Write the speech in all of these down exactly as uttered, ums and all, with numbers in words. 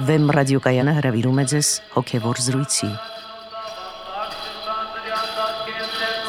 Վեմ ռադիոկայանը հրավիրում է ձեզ հոգևոր զրույցի։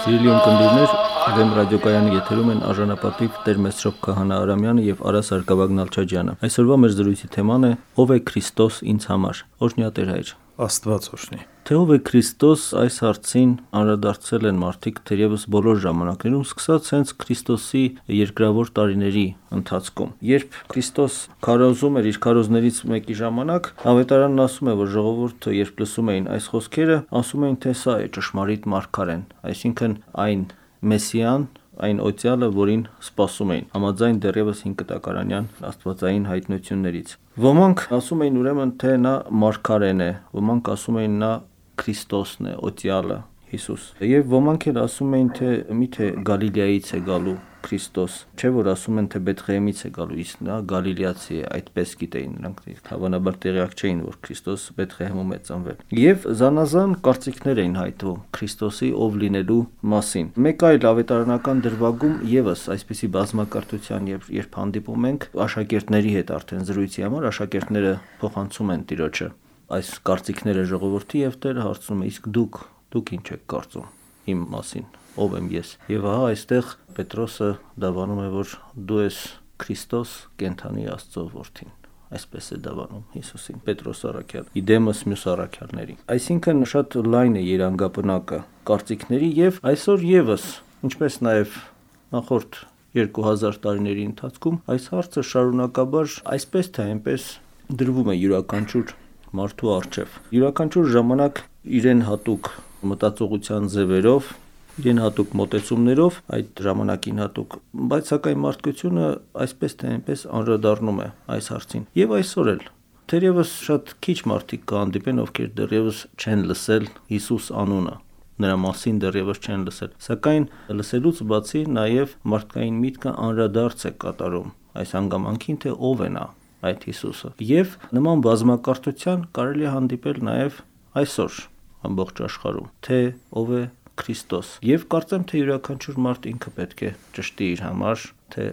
Սիրելի ունկնդիրներ, Վեմ ռադիոկայանի եթերում են արժանապատիվ Տեր Մեսրոպ Քահանա Արամյանը եւ Արա Սարգսակյան Նալչաջյանը։ Այսօրվա մեր զրույցի թեման է «Ով է Քրիստոս ինձ համար»։ Օրհնյա Տեր հայր։ Աստված օրհնի։ Թե ով է Քրիստոս, այս հարցին անդրադարձել են մարդիկ թերևս բոլոր ժամանակներում, սկսած հենց Քրիստոսի երկրավոր տարիների ընթացքում։ Երբ Քրիստոս քարոզում էր իր քարոզներից մեկի ժամանակ, ավետարանն ասում է, որ ժողովուրդը երբ լսում էին այս խոսքերը, ասում էին, թե սա է ճշմարիտ մարգարեն, այսինքն այն Մեսիան, այն օծյալը, որին սպասում էին, համաձայն դեռևս հինկտակարանյան աստվածային հայտնություններից։ Ոմանք ասում էին ուրեմն, թե նա մարգարեն է, ոմանք ասում էին նա Քրիստոսն է, օծյալը, Հիսուս։ Եվ ոմանք էլ ասում էին, թե միթե Գալիլեայից է գալու Քրիստոս, չէ որ ասում են, թե Բեթղեհեմից է գալու, իսկ նա Գալիլեացի է, այդպես գիտեին նրանք, հավանաբար տեղյակ չէին, որ Քրիստոս Բեթղեհեմում է ծնվել։ Եվ զանազան կարծիքներ էին հայտվում Քրիստոսի ով լինելու մասին։ Մեկ այլ ավետարանական դրվագում եւս այսպիսի բազմակարծության եւ երբ հանդիպում ենք աշակերտների հետ արդեն զրույցի համար, աշակերտները փոխանցում են Տիրոջը այս կարծիքները ժողովրդի եւ Տերը հարցնում է, իսկ դուք դուք ինչ եք կարծում իմ մասին, ով եմ ես։ Եվ ահա այստեղ Պետրոսը դավանում է, որ դու ես Քրիստոս, կենդանի Աստծո որդին, այսպես է դավանում Հիսուսին Պետրոս առաքյալ, իդեմս մյուս առաքյալների։ Այսինքն շատ լայն է երանգապնակը կարծիքների եւ այսօր եւս, ինչպես նաեւ նախորդ երկու հազար տարիների ընթացքում, այս հարցը շարունակաբար այսպես թե այնպես դրվում է յուրաքանչյուր մարդու առջև։ Յուրաքանչյուր ժամանակ իրեն հատուկ մտածողության ձևերով, իրեն հատուկ մոտեցումներով, այդ ժամանակին հատուկ, բայց սակայն մարդկությունը այսպես թե այնպես անդրադառնում է այս հարցին։ Եվ այսօր էլ թերևս շատ քիչ մարդիկ կհանդիպեն, ովքեր դեռևս չեն լսել Հիսուս անունը, նրա մասին դեռևս չեն լսել։ Սակայն լսելուց բացի նաև մարդկային միտքը անդրադարձ է կատարում այս հանգամանքին, թե ով է նա, այդ Հիսուսը։ Եվ նման բազմակարծության կարելի է հանդիպել նաև այսօր ամբողջ աշխարհում, թե ով է Քրիստոս։ Եվ կարծեմ, թե յուրաքանչյուր մարդ ինքը պետք է ճշտի իր համար, թե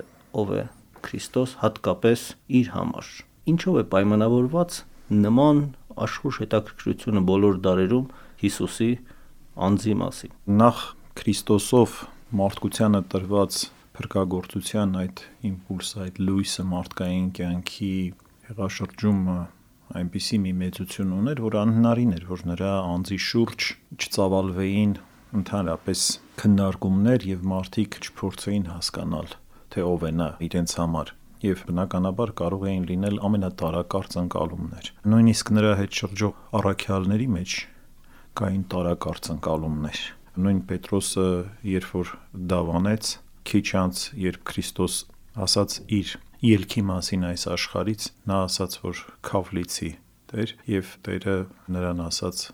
ով է Քրիստոս, հատկապես իր համար։ Ինչով է պայմանավորված նման աշխուժ հետաքրքրությունը բոլոր դարերում Հիսուսի անձի մասին։ Նախ Քրիստոսով մարդկությանը տրված փրկagorցության այդ իմպուլսը, այդ լույսը մարդկային կյանքի հեղաշրջումը այնպիսի մի մեծություն ուներ, որ անհնարին էր, որ նրա անձի շուրջ չծավալվեին ընդհանրապես քննարկումներ եւ մարդիկ չփորձեին հասկանալ, թե ով է նա իրենց համար, եւ բնականաբար կարող էին լինել ամենատարակարծ ընկալումներ։ Նույնիսկ նրա հետ շրջող առաքյալների մեջ կային տարակարծ ընկալումներ։ Նույն Պետրոսը, երբ որ դավանեց, քիչ անց, երբ Քրիստոս ասաց իր ելքի մասին այս աշխարից, նա ասաց, որ քավլիցի Տեր, եւ Տերը նրան ասաց,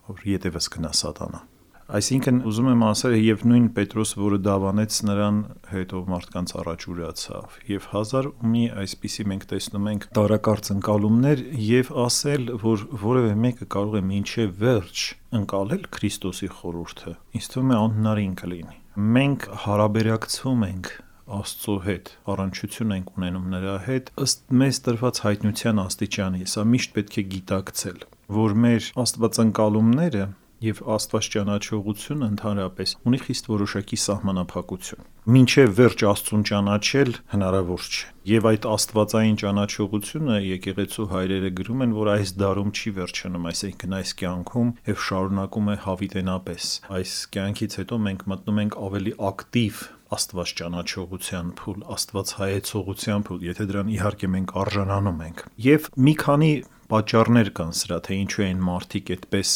որ ետևս գնա Սատանա։ Այսինքն ուզում եմ ասել, եւ նույն Պետրոսը, որը դավանեց նրան, հետո մարդկանց առաջ ուրացավ, եւ հազար ու մի այսպիսի մենք տեսնում ենք տարակարծ ընկալումներ եւ ասել, որ որևէ մեկը կարող է մինչեւ վերջ ընկալել Քրիստոսի խորհուրդը, ինձ թվում է անհնարին կլինի։ Մենք հարաբերակցվում ենք Աստծո հետ, առնչություն ենք ունենում նրա հետ ըստ մեզ տրված հայտնության աստիճանի։ Սա միշտ պետք է գիտակցել, որ մեր աստվածընկալումները եւ Աստված ճանաչողությունը ընդհանրապես ունի խիստ որոշակի սահմանափակություն։ Մինչեւ վերջ Աստծուն ճանաչել հնարավոր չէ։ Եվ այդ աստվածային ճանաչողությունը եկեղեցու հայրերը գրում են, որ այս դարում չի վերջանում, այսինքն այս կյանքում եւ շարունակում է հավիտենապես։ Այս կյանքից հետո մենք մտնում ենք ավելի ակտիվ Աստված ճանաչողության փուլ, Աստված հայեցողության փուլ, եթե դրան իհարկե մենք արժանանում ենք։ Եվ մի քանի պատճառներ կան սրա, թե ինչու են մարդիկ այդպես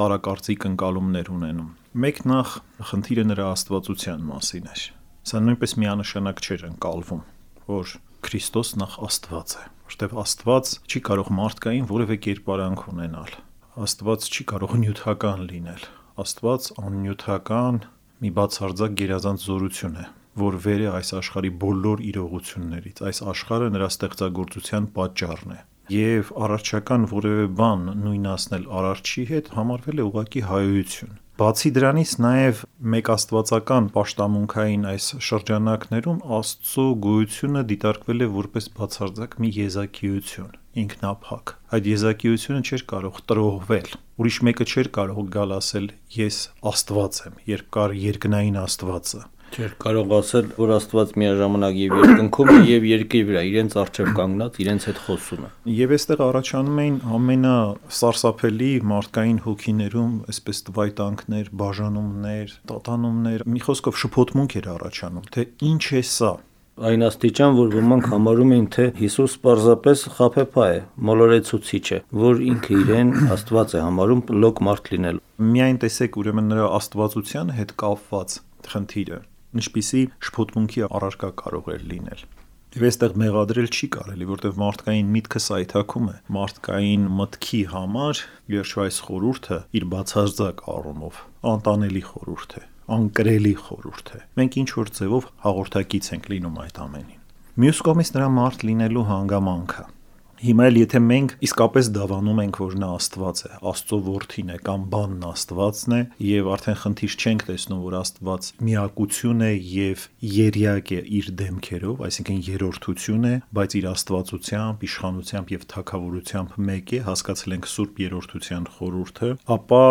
տարակարծիկ ընկալումներ ունենում։ Մեկ նախ խնդիրը նրա աստվածության մասին էր։ Սա նույնպես միանշանակ չէր ընկալվում, որ Քրիստոս նախ Աստված է, որտեղ Աստված չի կարող մարդկային որևէ կերպարանք ունենալ։ Աստված չի կարող նյութական լինել։ Աստված աննյութական մի բացարձակ գերազանց զորություն է, որ վեր է այս աշխարհի բոլոր իրողություններից։ Այս աշխարհը նրա ստեղծագործության պատճառն է։ Եվ առարչական որևէ բան նույնացնել արարչի հետ համարվել է ուղղակի հայություն։ Բացի դրանից նաև մեկ աստվածական պաշտամունքային այս շրջանակներում Աստծո գոյությունը դիտարկվել է որպես բացարձակ մի եզակիություն, ինքնափակ։ Այդ եզակիությունը չէր կարող տրոհվել։ Ուրիշ մեկը չէր կարող գալ ասել ես Աստված եմ, երբ կար երկնային Աստվածը։ Չէր կարող ասել, որ Աստված միաժամանակ եւ երկնքում է եւ երկրի վրա իրենց առջև կանգնած իրենց հետ խոսում է։ Եվ այստեղ առաջանում էին ամենասարսափելի մարդկային հոգիներում այսպես տվայտանքներ, բաժանումներ, տատանումներ, մի խոսքով շփոթմունք էր առաջանում, թե ինչ է սա։ Այն աստիճան, որ ոմանք համարում էին, թե Հիսուս պարզապես խաբեբա է, մոլորեցուցիչ է, որ ինքը իրեն Աստված է համարում լոկ մարդ լինել։ Միայն տեսեք ուրեմն նրա աստվածության հետ կապված խնդիրը, ինչպիսի շփոթմունքի առարկա կարող էր լինել։ Եվ այստեղ մեղադրել չի կարելի, որտեղ մարդկային միտքը սայթաքում է, մարդկային մտքի համար երբ այս խորհուրդը իր բացարձակ առումով անտանելի խորհուրդ է, անկրելի խորհուրդ է։ Մենք ինչ որ ձևով հաղորդակից ենք լինում այդ ամենին։ Մյուս կողմից նրա մարդ լինելու հանգամանքը։ Հիմա էլ եթե մենք իսկապես դավանում ենք, որ նա Աստված է, Աստծո որդին է կամ բանն Աստվածն է, եւ արդեն խնդիր չենք տեսնում, որ Աստված միակություն է եւ երյակ է իր դեմքերով, այսինքն երրորդություն է, բայց իր աստվածությամբ, իշխանությամբ եւ թագավորությամբ մեկ է, հասկացել ենք Սուրբ Երրորդության խորհուրդը, ապա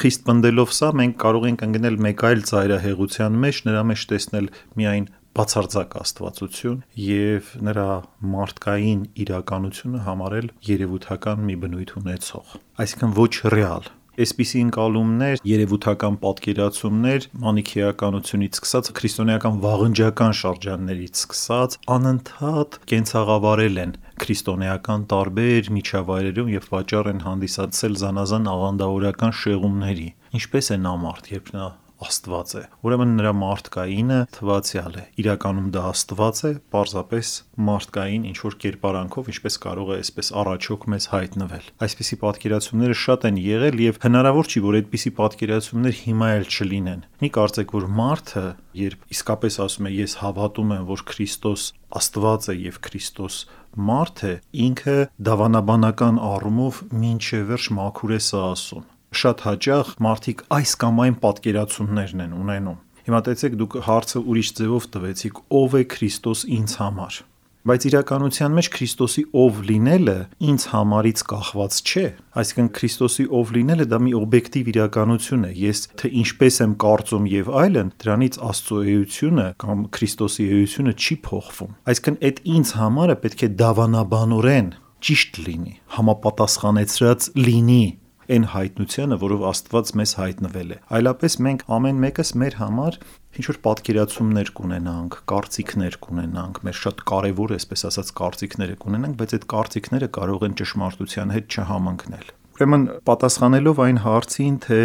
խիստ պնդելով սա մենք կարող ենք ընկնել մեկ այլ ծայրահեղության մեջ, նրա մեջ տեսնել միայն բացարձակ աստվածություն եւ նրա մարդկային իրականությունը համարել երևութական մի բնույթ ունեցող, այսինքն ոչ ռեալ։ Այսպիսի ընկալումներ, երևութական պատկերացումներ մանիքեականությունից սկսած քրիստոնեական վաղնջական շրջաններից սկսած անընդհատ կենցաղավարել են քրիստոնեական տարբեր միջավայրերում եւ պատճառ են հանդիսացել զանազան աղանդավորական շեղումների։ Ինչպես է նա մարդ, երբ նա Աստված է։ Ուրեմն նրա մարդկայինը թվացյալ է։ Իրականում դա Աստված է, պարզապես մարդկային ինչ որ կերպարանքով, ինչպես կարող է այսպես առաջոք մեզ հայտնվել։ Այսպիսի պատկերացումները շատ են եղել եւ հնարավոր չի, որ այդպիսի պատկերացումներ հիմա էլ չլինեն։ Մի կարծեք, որ մարդը, երբ իսկապես ասում է ես հավատում եմ, որ Քրիստոս Աստված է եւ Քրիստոս մարդ է, ինքը դավանաբանական առումով մինչև վերջ մաքուր է սա ասում։ Շատ հաճախ մարդիկ այս կամ այն պատկերացումներն են ունենում։ Հիմա տեսեք, դուք հարցը ուրիշ ձևով տվեցիք, ով է Քրիստոս ինձ համար։ Բայց իրականության մեջ Քրիստոսի ով լինելը ինձ համարից կախված չէ։ Այսինքն Քրիստոսի ով լինելը դա մի օբյեկտիվ իրականություն է։ Ես թե ինչպես եմ կարծում եւ այլն, դրանից Աստծո էությունը կամ Քրիստոսի էությունը չի փոխվում։ Այսինքն այդ ինձ համարը պետք է դավանաբանորեն ճիշտ լինի, համապատասխանեցրած լինի այն հայտնությանը, որով Աստված մեզ հայտնվել է։ Այլապես մենք ամեն մեկս մեր համար ինչ որ պատկերացումներ կունենանք, կարծիքներ կունենանք, մեր շատ կարևոր, այսպես ասած, կարծիքները կունենանք, բայց այդ կարծիքները կարող են ճշմարտության հետ չհամընկնել։ Ուրեմն պատասխանելով այն հարցին, թե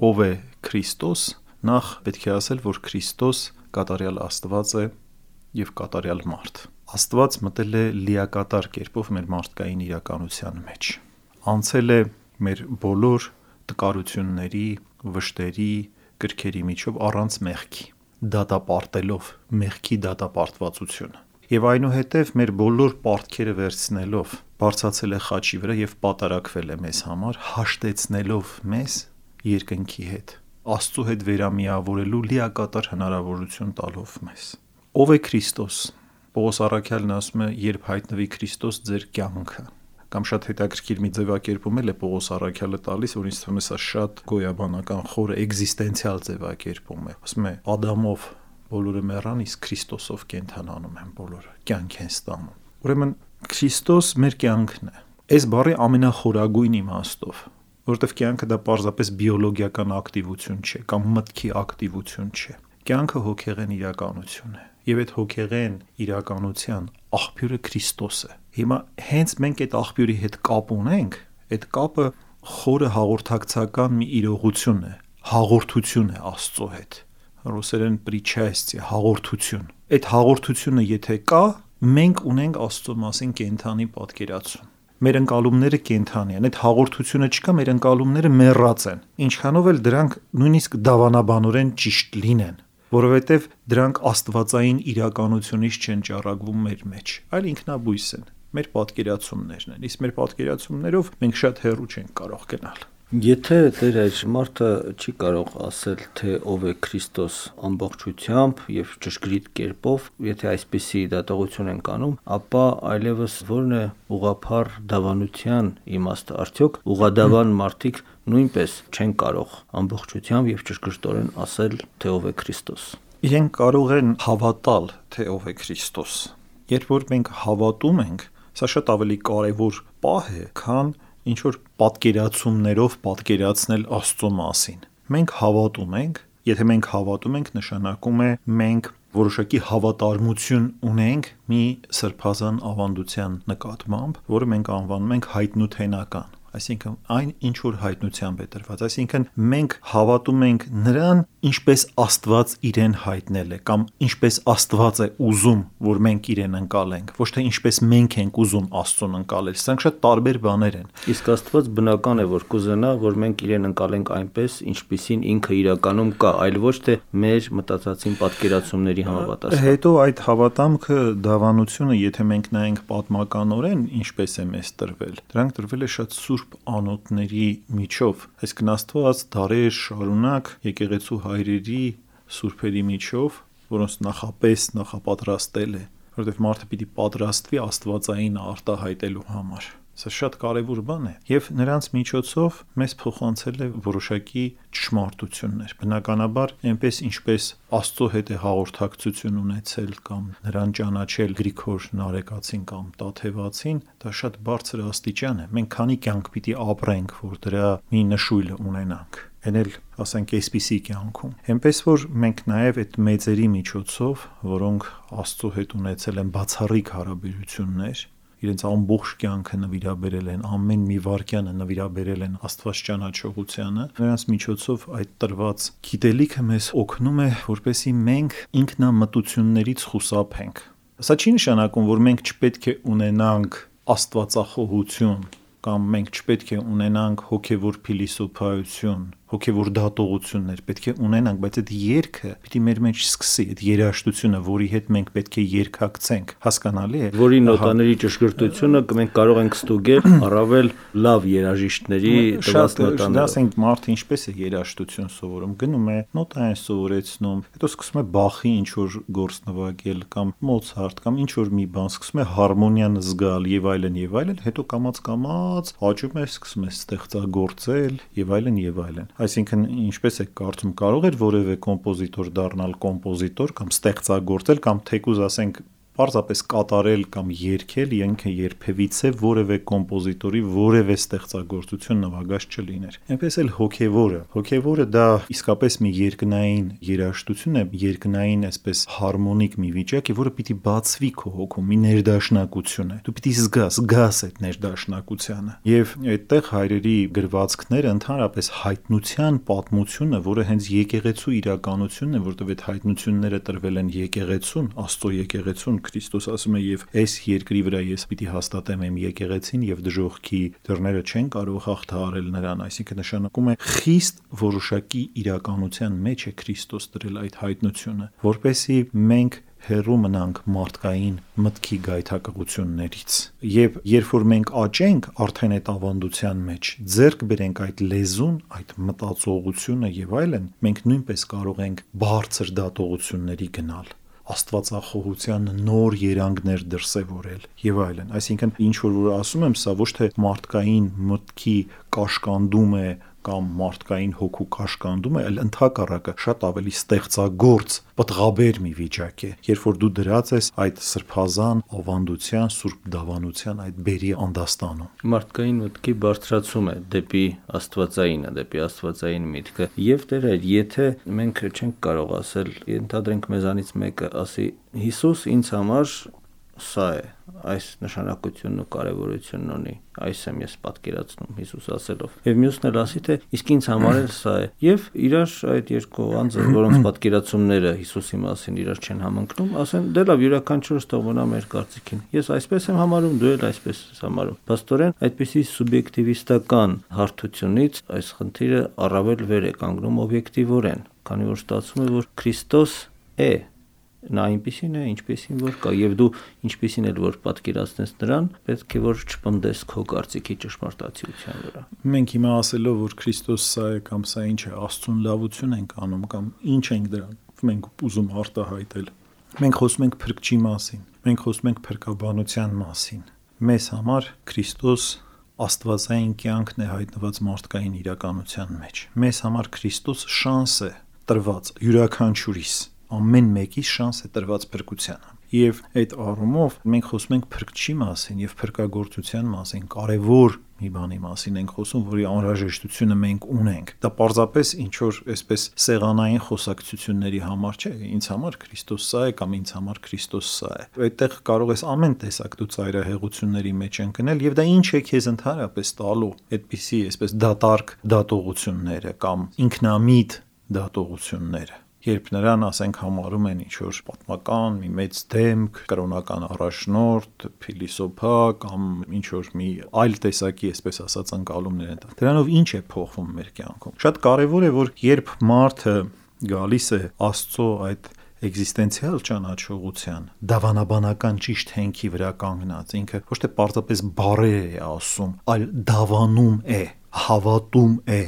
ով է Քրիստոս, նախ պետք է ասել, որ Քրիստոս կատարյալ Աստված է եւ կատարյալ մարդ։ Աստված մտել է լիակատար կերպով մեր մարդկային իրականության մեջ։ Անցել է մեր բոլոր տկարությունների, վշտերի, կրքերի միջով առանց մեղքի, դատապարտելով մեղքի դատապարտվածությունը։ Եվ այնուհետև մեր բոլոր պարտքերը վերցնելով բարձրացել է խաչի վրա եւ պատարակվել է մեզ համար, հաշտեցնելով մեզ երկնքի հետ, Աստծո հետ վերամիավորելու լիակատար հնարավորություն տալով մեզ։ Ով է Քրիստոս։ Պողոս առաքյալն ասում է, երբ հայտնվի Քրիստոս ձեր կյանքը, կամ շատ հետաքրքիր մի ձևակերպում էլ է Պողոս առաքյալը տալիս, որ ինձ թվում է սա շատ գոյաբանական խորը էգզիստենցիալ ձևակերպում է։ Ասում է Ադամով բոլորը մեռան, իսկ Քրիստոսով կենդանանում են բոլորը, կյանք են ստանում։ Ուրեմն Քրիստոս մեր կյանքն է։ Այս բառի ամենախորագույն իմաստով, որովհետև կյանքը դա պարզապես բիոլոգիական ակտիվություն չէ կամ մտքի ակտիվություն չէ։ Կյանքը հոգեղեն իրականություն է, եւ այդ հոգեղեն իրականության աղբյուրը Քրիստոս է։ Հիմա հենց մենք այդ աղբյուրի հետ կապ ունենք, այդ կապը խորը հաղորդակցական մի իրողություն է, հաղորդություն է Աստծո հետ։ Ռուսերեն պրիչայստի հաղորդություն։ Այդ հաղորդությունը եթե կա, մենք ունենք Աստծո մասին կենթանի պատկերացում։ Մեր ընկալումները կենթանի են, այդ հաղորդությունը չկա, մեր ընկալումները մեռած են։ Ինչքանով էլ դրանք նույնիսկ դավանաբանորեն ճիշտ լինեն, որովհետև դրանք աստվածային իրականությունից չեն ճառագվում մեր մեջ, այլ ինքնաբույս են, մեր պատկերացումներն են, իսկ մեր պատկերացումներով մենք շատ հեռու չենք կարող գնալ։ Եթե Տեր այր մարդը չի կարող ասել, թե ով է Քրիստոս ամբողջությամբ եւ ճշգրիտ կերպով, եթե այսպիսի դատողություն են կանում, ապա այլևս ո՞րն է ուղղափառ դավանության իմաստը, արդյոք ուղադավան մարդիկ նույնպես չեն կարող ամբողջությամբ եւ ճշգրտորեն ասել, թե ով է Քրիստոս։ Իրենք կարող են հավատալ, թե ով է Քրիստոս։ Երբ որ մենք հավատում ենք, սա շատ ավելի կարևոր պահ է, քան ինչ որ պատկերացումներով պատկերացնել Աստծո մասին։ Մենք հավատում ենք, եթե մենք հավատում ենք, նշանակում է մենք որոշակի հավատարմություն ունենք մի սրբազան ավանդության նկատմամբ, որը մենք անվանում ենք հայտնութենական, այսինքն այն ինչ որ հայտնությամբ է տրված, այսինքն մենք հավատում ենք նրան, ինչպես Աստված իրեն հայտնել է, կամ ինչպես Աստված է ուզում, որ մենք իրեն ընկալենք, ոչ թե ինչպես մենք ենք ուզում Աստծուն ընկալել։ Սրանք շատ տարբեր բաներ են։ Իսկ Աստված բնական է, որ կուզենա, որ մենք իրեն ընկալենք այնպես, ինչպիսին ինքը իրականում կա, այլ ոչ թե մեր մտածածին պատկերացումների համապատասխան։ Հետո այդ հավատամքը, դավանությունը, եթե մենք նայենք պատմականորեն, ինչպես է մեզ տրվել, դրանք տրվել է շատ սուրբ անոթների միջով, այսինքն Աստված դարեր շարունակ եկեղեցու հայրերի սուրբերի միջով, որոնց նախապես նախապատրաստել է, որովհետև մարդը պիտի պատրաստվի Աստվածային արտահայտելու համար։ Սա շատ կարևոր բան է, եւ նրանց միջոցով մեզ փոխանցել է որոշակի ճշմարտություններ։ Բնականաբար, այնպես ինչպես Աստծո հետ է հաղորդակցություն ունեցել կամ նրան ճանաչել Գրիգոր Նարեկացին կամ Տաթևացին, դա շատ բարձր աստիճան է։ Մենք քանի կյանք պիտի ապրենք, որ դրա մի նշույլը ունենանք։ Այն էլ, ասենք, այսպիսի կյանքում։ Այնպես որ մենք նաև այդ մեծերի միջոցով, որոնք Աստծո հետ ունեցել են բացառիկ հարաբերություններ, իրենց ամբողջ կյանքը նվիրաբերել են, ամեն մի վայրկյանը նվիրաբերել են Աստված ճանաչողությանը, նրանց միջոցով այդ տրված գիտելիքը մեզ օգնում է, որպեսզի մենք ինքնամտություններից խուսափենք։ Սա չի նշանակում, որ մենք չպետք է ունենանք աստվածախոհություն կամ մենք չպետք է ունենանք հոգևոր փիլիսոփայություն, հոգևոր դատողություններ, պետք է ունենանք, բայց այդ երգը պիտի մեր մեջ սկսի, այդ երաժշտությունը, որի հետ մենք պետք է երգակցենք, հասկանալի է, որի նոտաների ճշգրտությունը մենք կարող ենք ստուգել առավել լավ երաժիշտների տված նոտաներով։ Ասենք մարդը ինչպես է երաժշտություն սովորում, գնում է, նոտա են սովորեցնում, հետո սկսում է Բախի ինչ որ գործ նվագել կամ Մոցարտ կամ ինչ որ մի բան, սկսում է հարմոնիան զգալ եւ այլն եւ այլն, հետո կամած կամած աճում է, սկսում է ստեղծագործել եւ այլն եւ այլն։ Այսինքն, ինչպես է կարծում, կարող էր որևէ կոմպոզիտոր դառնալ կոմպոզիտոր կամ ստեղծագործել կամ թեկուզ ասենք պարզապես կատարել կամ երգել, ինքը երբևիցե որևէ կոմպոզիտորի որևէ ստեղծագործություն նվագած չլիներ։ Այնպես էլ հոգևորը, հոգևորը դա իսկապես մի երկնային երաժշտություն է, երկնային այսպես հարմոնիկ մի վիճակ է, որը պիտի բացվի քո հոգում, մի ներդաշնակություն է։ Դու պիտի զգաս, զգաս այդ ներդաշնակությունը։ Եվ այդտեղ հայրերի գրվածքները ընդհանրապես հայտնության պատմությունը, որը հենց եկեղեցու իրականությունն է, որտեղ այդ հայտնությունները տրվել են եկեղեցուն, Աստծո եկեղեցուն, Քրիստոս ասում է եւ այս երկրի վրա ես պիտի հաստատեմ իմ եկեղեցին եւ դժոխքի դռները չեն կարող հաղթահարել նրան, այսինքն նշանակում է խիստ որոշակի իրականության մեջ է Քրիստոս դրել այդ հայտնությունը, որպեսզի մենք հեռու մնանք մարդկային մտքի գայթակղություններից։ Եվ երբ որ մենք աճենք արդեն այդ ավանդության մեջ, ձեռք բերենք այդ լեզուն, այդ մտածողությունը եւ այլն, մենք նույնպես կարող ենք բարձր դատողությունների գնալ, աստվածախոհության նոր երանգներ դրսևորել եւ այլն։ Այսինքն ինչ որ որ ասում եմ, սա ոչ թե մարդկային մտքի կաշկանդում է կամ մարդկային հոգու կաշկանդում է, այլ ընդհակառակը շատ ավելի ստեղծագործ, պտղաբեր մի վիճակ է, երբ որ դու դրած ես այդ սրբազան ավանդության, սուրբ դավանության այդ բերի անդաստանում։ Մարդկային մտքի բարձրացում է դեպի աստվածայինը, դեպի աստվածային միտքը։ Եվ Տեր այր, եթե մենք չենք կարող ասել, ենթադրենք մեզանից մեկը ասի, Հիսուս ինձ համար սա է, այս նշանակությունն ու կարևորությունն ունի, այս եմ ես պատկերացնում Հիսուս ասելով։ Եվ մյուսն էլ ասի, թե իսկ ինձ համար էլ սա է։ Եվ իրար այդ երկու անձը, որոնց պատկերացումները Հիսուսի մասին իրար չեն համընկնում, ասեն, դե լավ, յուրաքանչյուրս թողնա մեր կարծիքին։ Ես այսպես եմ համարում, դու էլ այսպես ես համարում։ Փաստորեն, այդպիսի սուբյեկտիվիստական հարթությունից այս խնդիրը առավել վեր է կանգնում օբյեկտիվորեն, քանի որ ստացվում է, որ Քրիստոս է նա այնպեսին է, ինչպեսին որ կա, եւ դու ինչպեսին էլ որ պատկերացնես նրան, պետք է որ չպնդես քո կարծիքի ճշմարտացիության վրա։ Մենք հիմա ասելով որ Քրիստոս սա է կամ սա ինչ է, Աստծուն լավություն ենք անում կամ ինչ ենք դրան մենք ուզում արտահայտել։ Մենք խոսում ենք փրկչի մասին, մենք խոսում ենք փրկաբանության մասին։ Մեզ համար Քրիստոս աստվածային կյանքն է հայտնված մարդկային իրականության մեջ։ Մեզ համար Քրիստոս շանս է տրված յուրաքանչյուրիս, ամեն մեկի շանս է տրված փրկությանը։ Եվ այդ առումով մենք խոսում ենք փրկչի մասին եւ փրկagorցության մասին, կարևոր մի բանի մասին ենք խոսում, որի անհրաժեշտությունը մենք ունենք։ Դա պարզապես ինչ որ այսպես սեղանային խոսակցությունների համար չէ, ինձ համար Քրիստոս սա է կամ ինձ համար Քրիստոս սա է։ Այդտեղ կարող ես ամեն տեսակ դու ծայրահեղությունների մեջ ընկնել եւ դա ինչ է քեզ ընդհանրապես տալու այդպիսի այսպես դատարկ դատողությունները կամ ինքնամիտ դատողությունները։ Երբ նրան ասենք համարում են ինչ որ պատմական մի մեծ դեմք, կրոնական առաջնորդ, փիլիսոփա կամ ինչ որ մի այլ տեսակի, այսպես ասած, ընկալումներ են տա։ Դրանով ինչ է փոխվում մեր կյանքում։ Շատ կարևոր է, որ երբ մարդը գալիս է Աստծո այդ էգզիստենցիալ ճանաչողության, դավանաբանական ճիշտ հենքի վրա կանգնած, ինքը ոչ թե պարզապես բառեր է ասում, այլ դավանում է, հավատում է,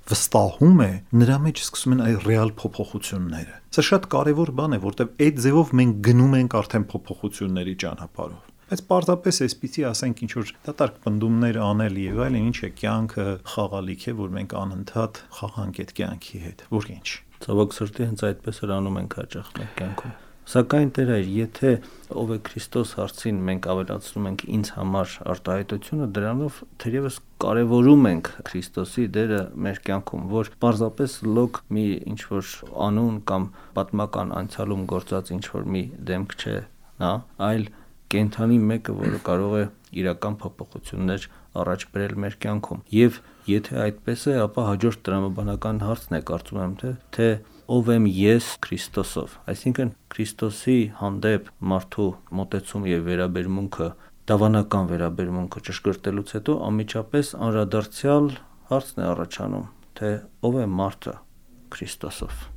վստահում է, նրա մեջ սկսում են այդ ռեալ փոփոխությունները։ Սա շատ կարևոր բան է, որտեղ այդ ձևով մենք գնում ենք արդեն փոփոխությունների ճանապարհով։ Բայց պարզապես այսպեսի ասենք ինչ որ դատարկ պնդումներ անել եւ այլն, ինչ է կյանքը խաղալիք է, որ մենք անընդհատ խաղանք այդ կյանքի հետ, որ ինչ։ Ցավոք սրտի հենց այդպես էլ անում ենք հաճախ մեր կյանքում։ Սակայն Տեր այր, եթե ով է Քրիստոս հարցին մենք ավելացնում ենք ինձ համար արտահայտությունը, դրանով թերևս կարևորում ենք Քրիստոսի դերը մեր կյանքում, որ պարզապես լոկ մի ինչ որ անուն կամ պատմական անցյալում գործած ինչ որ մի դեմք չէ, նա, այլ կենթանի մեկը, որը կարող է իրական փոփոխություններ առաջ բերել մեր կյանքում։ Եվ եթե այդպես է, ապա հաջորդ տրամաբանական հարցն է, կարծում եմ, թե թե ով եմ ես Քրիստոսով, այսինքն Քրիստոսի հանդեպ մարդու մոտեցում եւ վերաբերմունքը, դավանական վերաբերմունքը ճշգրտելուց հետո անմիջապես անդրադարձյալ հարցն է առաջանում, թե ով է մարդը Քրիստոսով։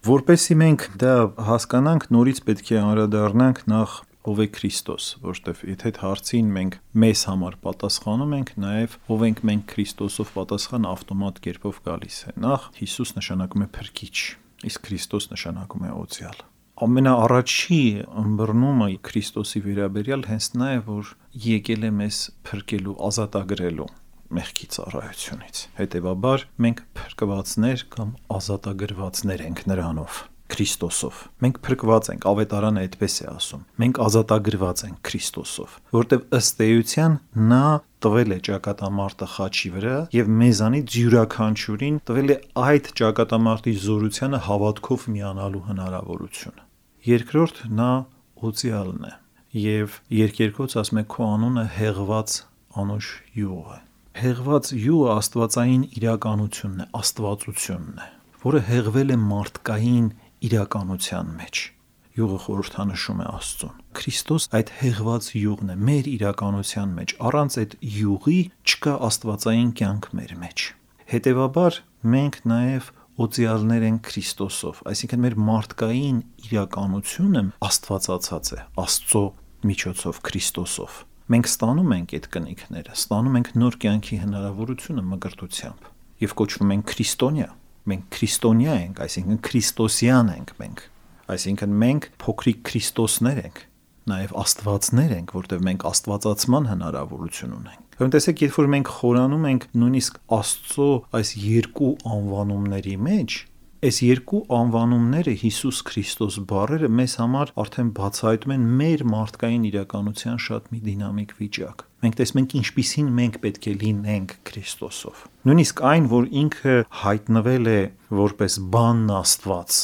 Որպեսզի մենք դա հասկանանք, նորից պետք է անդրադառնանք նախ ով է Քրիստոս, որովհետև եթե այդ հարցին մենք մեզ համար պատասխանում ենք, նաև ով ենք մենք Քրիստոսով պատասխան ավտոմատ կերպով գալիս է։ Նախ Հիսուս նշանակում է փրկիչ, իսկ Քրիստոս նշանակում է օծյալ։ Ամենաառաջի ըմբռնումը Քրիստոսի վերաբերյալ հենց նա է, որ եկել է մեզ փրկելու, ազատագրելու մեղքի ծառայությունից։ Հետևաբար մենք փրկվածներ կամ ազատագրվածներ ենք նրանով, Քրիստոսով։ Մենք փրկված ենք, ավետարանը այդպես է ասում։ Մենք ազատագրված ենք Քրիստոսով, որտեղ ըստ էության նա տվել է ճակատամարտը խաչի վրա եւ մեզանից յուրաքանչյուրին տվել է այդ ճակատամարտի զորությանը հավատքով միանալու հնարավորությունը։ Երկրորդ նա օծյալն է եւ երկերկոց ասում է քո անունը հեղված անուշ յուղ է։ Հեղված յուղը աստվածային իրականությունն է, աստվածությունն է, որը հեղվել է մարդկային իրականության մեջ։ Յուղը խորհրդանշում է Աստծուն։ Քրիստոս այդ հեղված յուղն է մեր իրականության մեջ։ Առանց այդ յուղի չկա աստվածային կյանք մեր մեջ։ Հետևաբար մենք նաև օծյալներ ենք Քրիստոսով, այսինքն մեր մարդկային իրականությունը աստվածացած է Աստծո միջոցով Քրիստոսով։ Մենք ստանում ենք այդ կնիքները, ստանում ենք նոր կյանքի հնարավորությունը մկրտությամբ եւ կոչվում ենք քրիստոնյա։ Մենք քրիստոնյա ենք, այսինքն քրիստոսյան ենք մենք։ Այսինքն մենք փոքրիկ Քրիստոսներ ենք, նաև աստվածներ ենք, որտեղ մենք աստվածացման հնարավորություն ունենք։ Ուրեմն տեսեք, երբ որ մենք խորանում ենք նույնիսկ Աստծո այս երկու անվանումների մեջ, այս երկու անվանումները Հիսուս Քրիստոս բառերը մեզ համար արդեն բացահայտում են մեր մարդկային իրականության շատ մի դինամիկ վիճակ։ Մենք տեսնում ենք ինչպիսին մենք պետք է լինենք Քրիստոսով։ Նույնիսկ այն, որ ինքը հայտնվել է որպես բանն Աստված,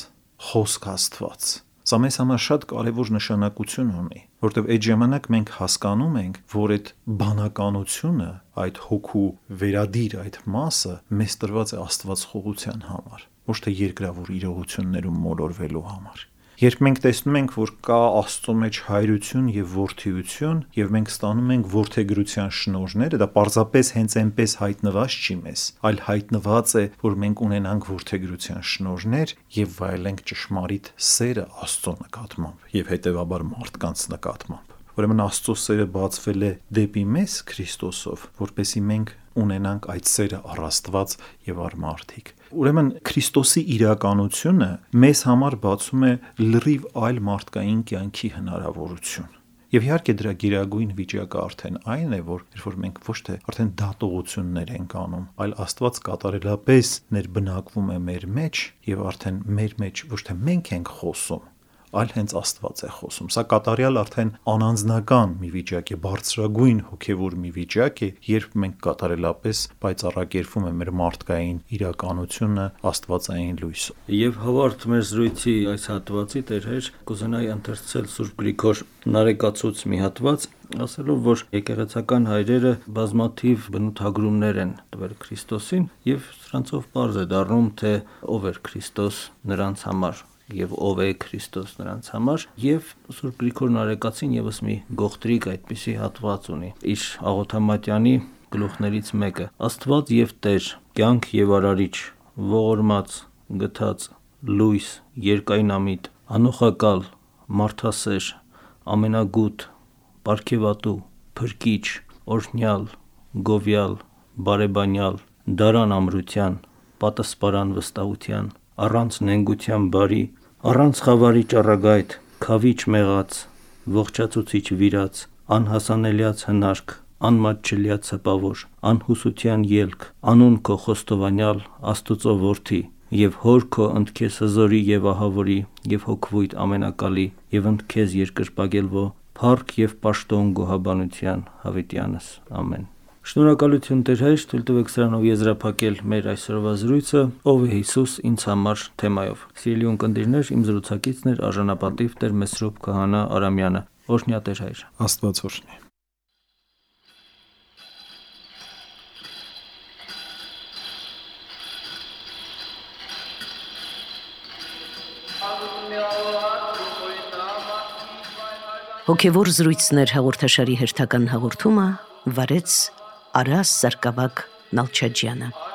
խոսք Աստված, սա մեզ համար շատ կարևոր նշանակություն ունի, որտեղ այդ ժամանակ մենք հասկանում ենք, որ այդ բանականությունը, այդ հոգու վերադիր այդ մասը մեզ տրված է Աստված խաղության համար, ոչ թե երկրավոր իրողություններում մոլորվելու համար։ Երբ մենք տեսնում ենք, որ կա Աստծո մեջ հայրություն եւ որդիություն, եւ մենք ստանում ենք որդեգրության շնորհները, դա պարզապես հենց այնպես հայտնված չի մեզ, այլ հայտնված է, որ մենք ունենանք որդեգրության շնորհներ եւ վայելենք ճշմարիտ սերը Աստծո նկատմամբ եւ հետեւաբար մարդկանց նկատմամբ։ Ուրեմն Աստծո սերը բացվել է դեպի մեզ Քրիստոսով, որպեսզի մենք ունենանք այդ սերը առ Աստված եւ առ մարդիկ։ Ուրեմն Քրիստոսի իրականությունը մեզ համար բացում է լրիվ այլ մարդկային կյանքի հնարավորություն։ Եվ իհարկե դրա գերագույն վիճակը արդեն այն է, որ երբ որ մենք ոչ թե արդեն դատողություններ ենք անում, այլ Աստված կատարելապես ներբնակվում է մեր մեջ եւ արդեն մեր մեջ ոչ թե մենք ենք խոսում, այլ հենց Աստված է խոսում։ Սա կատարյալ արդեն անանձնական մի վիճակ է, բարձրագույն հոգևոր մի վիճակ է, երբ մենք կատարելապես պայծառակերպվում է մեր մարդկային իրականությունը աստվածային լույսով։ Եվ հավարդ մեր զրույցի այս հատվածի տերհեր կուզենայի ընթերցել Սուրբ Գրիգոր Նարեկացուց մի հատված, ասելով, որ եկեղեցական հայրերը բազմաթիվ բնութագրումներ են տվել Քրիստոսին եւ սրանցով պարզ է դառնում, թե ով էր Քրիստոս նրանց համար եւ ով է Քրիստոս նրանց համար, եւ Սուրբ Գրիգոր Նարեկացին եւս մի գողտրիկ այդպիսի հատված ունի իր աղոթամատյանի գլուխներից մեկը. Աստված եւ Տեր, կյանք եւ արարիչ, ողորմած, գթած, լույս, երկայնամիտ, անոխակալ, մարդասեր, ամենագութ, պարգևատու, փրկիչ, օրհնյալ, գովյալ, բարեբանյալ, դարան ամրության, պատասպարան վստահության, առանց նենգության բարի, առանց խավարի ճառագայթ, քավիչ մեղած, ողջացուցիչ վիրած, անհասանելիաց հնարք, անմատչելիաց հպավոր, անհուսության ելք, անուն քո խոստովանյալ Աստուծո որդի, եւ հոր քո ընդքեզ հզորի եւ ահավորի, եւ հոգվույթ ամենակալի, եւ ընդքեզ երկրպագելվո, փառք եւ պաշտոն գոհաբանության հավիտյանս։ Ամեն։ Շնորհակալություն Տեր հայր, թույլ տվեք սրանով եզրափակել մեր այսօրվա զրույցը «Ով է Հիսուս ինձ համար» թեմայով։ Սիրելի ունկնդիրներ, իմ զրուցակիցն էր արժանապատիվ Տեր Մեսրոպ Քահանա Արամյանը։ Օրհնյա Տեր հայր։ Աստված օրհնի։ Հոգևոր զրույցներ հաղորդաշարի հերթական հաղորդումը վարեց Արաս Սարգսակ Նալչաջյանը։